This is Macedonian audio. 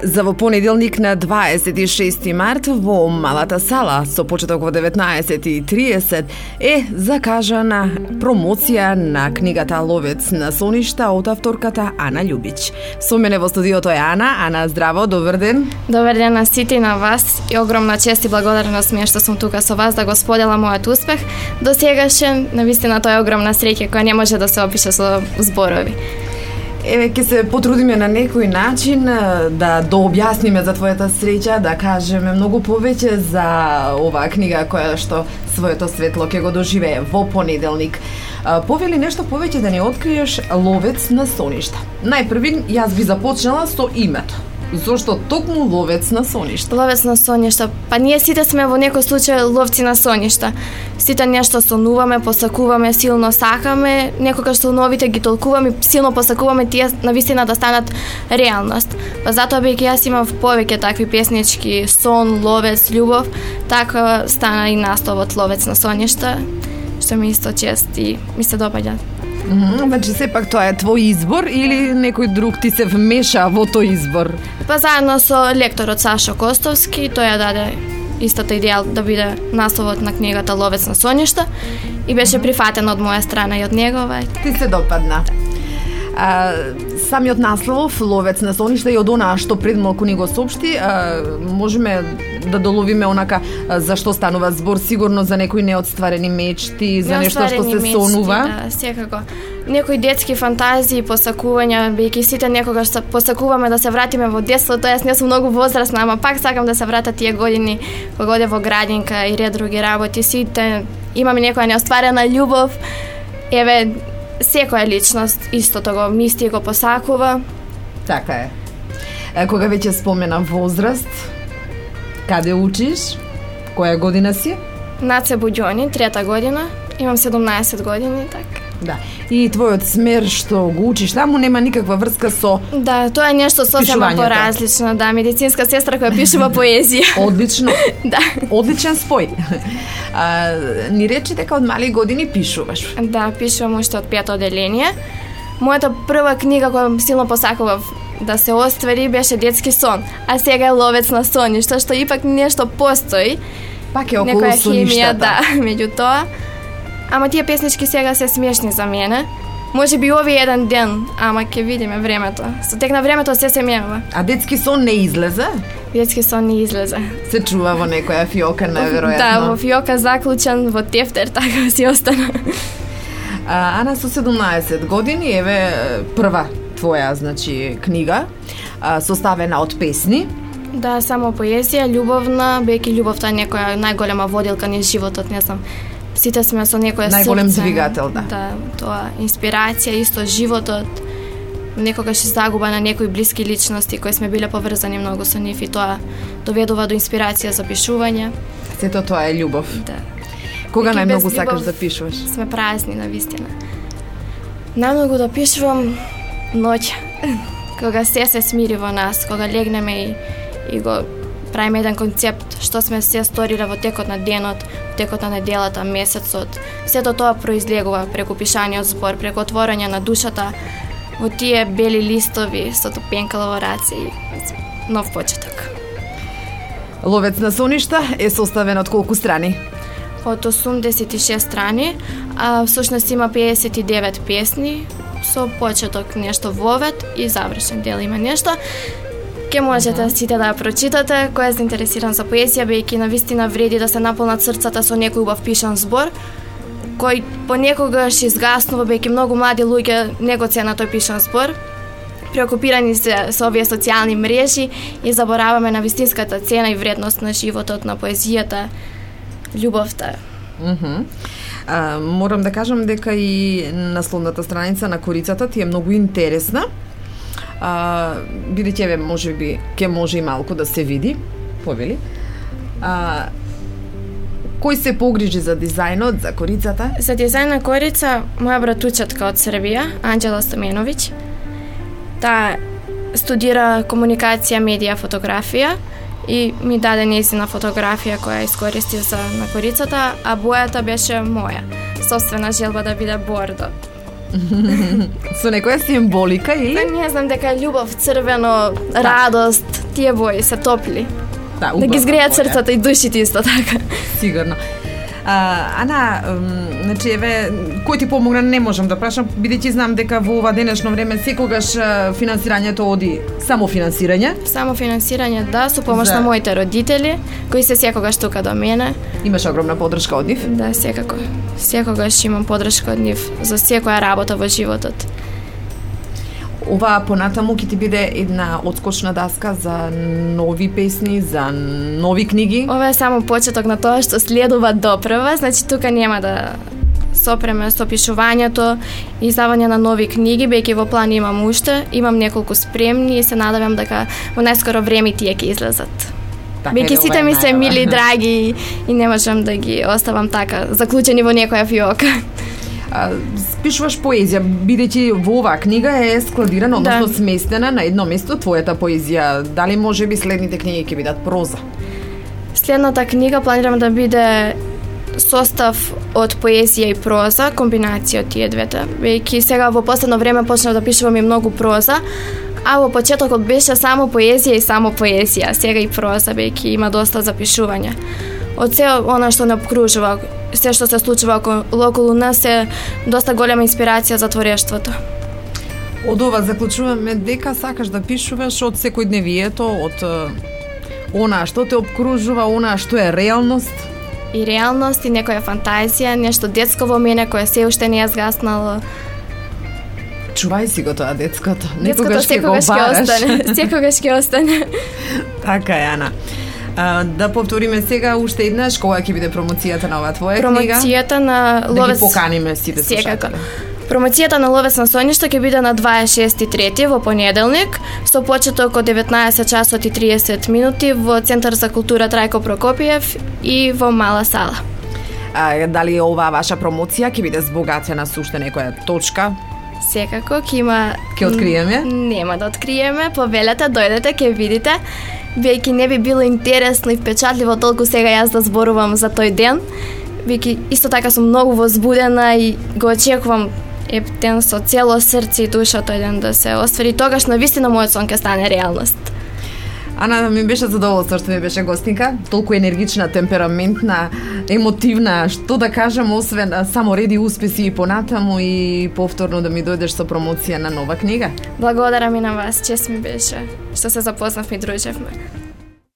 За во понеделник на 26 март во Малата сала со почеток во 19:30 е закажана промоција на книгата Ловец на соништа од авторката Ана Љубич. Со мене во студиото е Ана. Ана, здраво, добар ден. Добар ден на сите и на вас и огромна чест и благодарност ми е што сум тука со вас да го споделам мојот успех. До сегашен, навистина тоа е огромна среќа која не може да се опише со зборови. Еве, ќе се потрудиме на некој начин да дообјасниме за твојата среќа, да кажеме многу повеќе за оваа книга која што своето светло ќе го доживее во понеделник. Повели нешто повеќе да ни откриеш Ловец на соништа. Најпрви јас би започнала со името. Зошто токму Ловец на соништа? Ловец на соништа. Па ние сите сме во некој случај ловци на соништа. Сите нешто сонуваме, посакуваме, силно сакаме, некогаш соновите ги толкуваме, силно посакуваме тие навистина да станат реалност. Па затоа бејќи јас имав повеќе такви песнички, сон, ловец, љубов, така стана и насловот Ловец на соништа, што ми исто чест и ми се допаѓа. Значи, сепак тоа е твој избор или некој друг ти се вмеша во тој избор? Па заедно со лекторот Сашо Костовски, тој ја даде истата идеја да биде насловот на книгата Ловец на соништа и беше прифатен од моја страна и од негова. Ти се допадна. Самиот наслов Ловец на соништа и од онаа што пред малку ни го соопшти, можеме да доловиме онака за што станува збор, сигурно за некои неостварени мечти, за нешто што се сонува. Да, секако. Некои детски фантазии, посакувања, бејќи сите некогаш посакуваме да се вратиме во детството. Јас не сум многу возрастна, ама пак сакам да се вратат тие години кога одев во градинка и ред други работи. Сите имаме некоја неостварена љубов. Еве, секоја личност истото го мисли и го посакува. Така е. Кога веќе спомена возраст, каде учиш? Која година си? Наце Буѓони, 3-та година. Имам 17 години, така. Да. И твојот смер што го учиш таму нема никаква врска со Да, тоа е нешто сосема поразлично, да, медицинска сестра која пишува поезија. Одлично. Да. Одличен спој. Ни речи дека од мали години пишуваш. Да, пишувам уште од 5-то оделение. Мојата прва книга која силно посакував да се оствари беше Детски сон, а сега е Ловец на соништа, што ипак нешто постои. Пак е околу соништата. Да, меѓу тоа. Ама тие песнички сега се смешни за мене. Може би овој еден ден, ама ќе видиме времето. Со тек на времето се менува. А Детски сон не излезе? Детски сон не излезе. Се чува во некоја фиока, најверојатно. Да, во фиока заклучен во тефтер, така си остана. Ана, со 17 години, еве прва твоја, значи, книга, составена од песни. Да, само поезија, љубовна, бејќи љубовта е некоја најголема водилка низ животот, не знам. Сите сме со некоја срце. Најголем двигател, да. Да, тоа инспирација, исто животот, некогаш загуба на некои блиски личности кои сме биле поврзани многу со нив и тоа доведува до инспирација за пишување. Сето тоа е љубов. Да. Кога најмногу сакаш да пишуваш? Сме празни, навистина. Најмногу да пишувам ноќ, кога се смири во нас, кога легнеме и го правиме еден концепт што сме се сториле во текот на денот, текот на неделата, месецот. Сето тоа произлегува преку пишаниот збор, преку отворање на душата во тие бели листови со топенкала во раце и нов почеток. Ловец на соништа е составен од колку страни? Од 86 страни, а всушност има 59 песни, со почеток нешто вовет и завршен дел има нешто. Ке можете сите да ја прочитате, кој е заинтересиран за поезија, бејќи навистина вреди да се наполнат срцата со некој убав пишан збор, кој понекогаш изгаснува, бејќи многу млади луѓе не го ценат тој пишан збор. Преокупирани се со овие социјални мрежи и забораваме на вистинската цена и вредност на животот, на поезијата, љубовта. Морам да кажам дека и насловната страница на корицата ти е многу интересна. Бидејќи еве можеби ќе може и малку да се види, повели. Кој се погрижи за дизајнот, за корицата? За дизајн на корица моја братучетка од Србија, Анџела Стоменовиќ. Таа студира комуникација, медија, фотографија и ми даде нејзина фотографија која искористив за на корицата, а бојата беше моја. Собствена желба да биде бордо. Со некоја символика или? Па не знам, дека љубов, црвено, радост, тие бои се топли. Да ги згреат срцата и душите исто така. Сигурно. Ана, значи еве, кој ти помогна не можам да прашам, бидејќи знам дека во ова денешно време секогаш финансирањето оди самофинансирање. Самофинансирање, да, со помош на моите родители, кои се секогаш тука до мене. Имаш огромна поддршка од нив? Да, секако. Секогаш имам поддршка од нив за секоја работа во животот. Ова понатаму ќе ти биде една отскочна даска за нови песни, за нови книги? Ова е само почеток на тоа што следува допрва, значи тука нема да сопреме со пишувањето и издавање на нови книги, бејќи во план имам уште, имам неколку спремни и се надевам дека во најскоро време тие ќе излезат. Бејќи сите ми се мили, драги и не можам да ги оставам така, заклучени во некоја фиока. Пишуваш поезија, бидејќи во оваа книга е складирана, односно сместена на едно место твојата поезија. Дали можеби следните книги ќе бидат проза? Следната книга планирам да биде состав од поезија и проза, комбинација од тие двете. Бејќи сега во последно време почнав да пишувам и многу проза, а во почетокот беше само поезија и само поезија, сега и проза, бејќи има доста запишување. Од се она што не обкружува, се што се случува околу нас е доста голема инспирација за творештвото. Од ова заклучуваме дека сакаш да пишуваш од секојдневието, од она што те обкружува, она што е реалност. И реалност, и некоја фантазија, нешто детско во мене кое се уште не е згаснало. Чувај си го тоа детското. Некогаш ќе го бараш. Секогаш ќе остане. Така е, Ана. Да повториме сега уште еднаш кога ќе биде промоцијата на оваа твоја книга. Промоцијата на Ловец. Да ги поканиме сите слушатели. Промоцијата на Ловец на соништо ќе биде на 26.3 во понеделник со почеток од 19 часот и 30 минути во Центар за култура Трајко Прокопиев и во Мала сала. Дали оваа ваша промоција ќе биде збогатена со уште некоја точка? Секако ќе има. Ќе откриеме? Нема да откриеме, повелете, дојдете, ќе видите. Бејќи не би било интересно и впечатливо толку сега јас да зборувам за тој ден. Бејќи исто така сум многу возбудена и го очекувам ептен со цело срце и душа тој ден да се оствари. Тогаш навистина мојот сон ќе стане реалност. Ана, ми беше задоволство што ми беше гостинка, толку енергична, темпераментна, емотивна, што да кажам, освен само реди успеси и понатаму и повторно да ми дојдеш со промоција на нова книга. Благодарам и на вас, чест ми беше што се запознавме и дружевме.